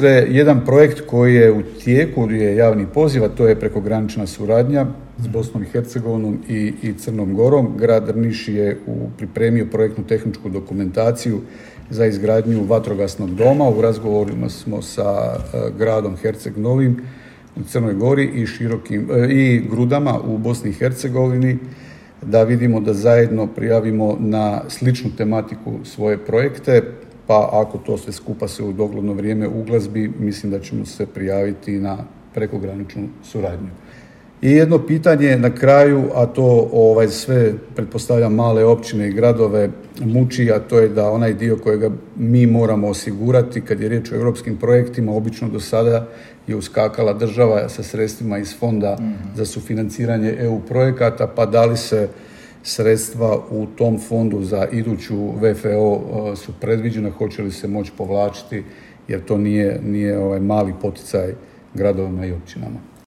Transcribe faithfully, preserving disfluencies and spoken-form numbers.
ministre, jedan projekt koji je u tijeku, je javni poziv, a to je prekogranična suradnja s Bosnom i Hercegovinom i, i Crnom Gorom. Grad Drniš je u, pripremio projektnu tehničku dokumentaciju za izgradnju vatrogasnog doma. U razgovorima smo sa uh, gradom Herceg Novim u Crnoj Gori i, širokim, uh, i Grudama u Bosni i Hercegovini, da vidimo da zajedno prijavimo na sličnu tematiku svoje projekte, pa ako to sve skupa se u dogledno vrijeme uglazbi, mislim da ćemo se prijaviti na prekograničnu suradnju. I jedno pitanje na kraju, a to ovaj, sve, pretpostavljam, male općine i gradove muči, a to je da onaj dio kojega mi moramo osigurati kad je riječ o europskim projektima, obično do sada je uskakala država sa sredstvima iz fonda mm-hmm. za sufinanciranje E U projekata, pa da li se sredstva u tom fondu za iduću V F O su predviđena, hoće li se moći povlačiti, jer to nije, nije ovaj mali poticaj gradovima i općinama.